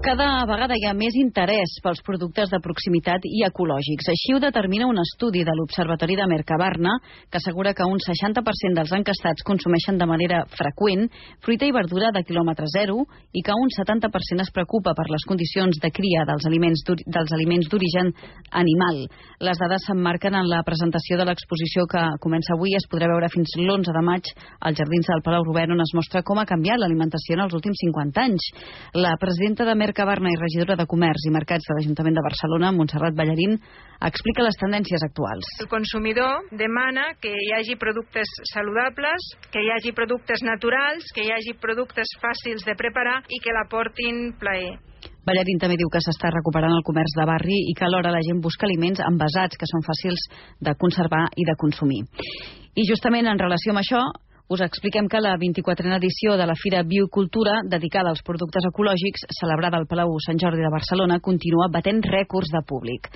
Cada vegada hi ha més interès pels productes de proximitat i ecològics. Així ho determina un estudi de l'Observatori de Mercabarna, que assegura que un 60% dels enquestats consumeixen de manera freqüent fruita i verdura de quilòmetre zero i que un 70% es preocupa per les condicions de cria dels aliments d'origen animal. Les dades s'emmarquen en la presentació de l'exposició que comença avui i es podrà veure fins l'11 de maig als Jardins del Palau Robert, on es mostra com ha canviat l'alimentació en els últims 50 anys. La presidenta de Mercabarna i regidora de Comerç i Mercats de l'Ajuntament de Barcelona, Montserrat Ballarín, explica les tendències actuals. El consumidor demana que hi hagi productes saludables, que hi hagi productes naturals, que hi hagi productes fàcils de preparar i que l'aportin plaer. Ballarín també diu que s'està recuperant el comerç de barri i que alhora la gent busca aliments envasats que són fàcils de conservar i de consumir. I justament en relació amb això, us expliquem que la 24a edició de la Fira Biocultura, dedicada als productes ecològics, celebrada al Palau Sant Jordi de Barcelona, continua batent rècords de públic.